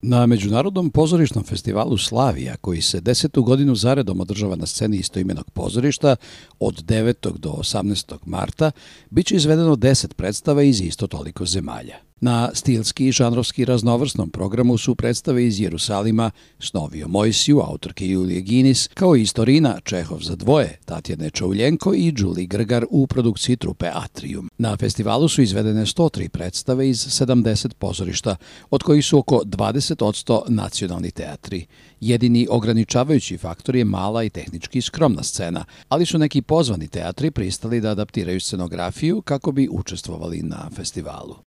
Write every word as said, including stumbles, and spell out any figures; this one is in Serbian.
Na Međunarodnom pozorišnom festivalu Slavija, koji se desetu godinu zaredom održava na sceni istoimenog pozorišta od devetog do osamnaestog marta, biće izvedeno deset predstava iz isto toliko zemalja. Na stilski i žanrovski raznovrsnom programu su predstave iz Jerusalima, Snovi o Mojsiju, autorke Julije Ginis, kao i Istorina, Čehov za dvoje, Tatjane Čauljenko i Đuli Grgar u produkciji trupe Atrium. Na festivalu su izvedene sto tri predstave iz sedamdeset pozorišta, od kojih su oko dvadeset odsto nacionalni teatri. Jedini ograničavajući faktor je mala i tehnički skromna scena, ali su neki pozvani teatri pristali da adaptiraju scenografiju kako bi učestvovali na festivalu.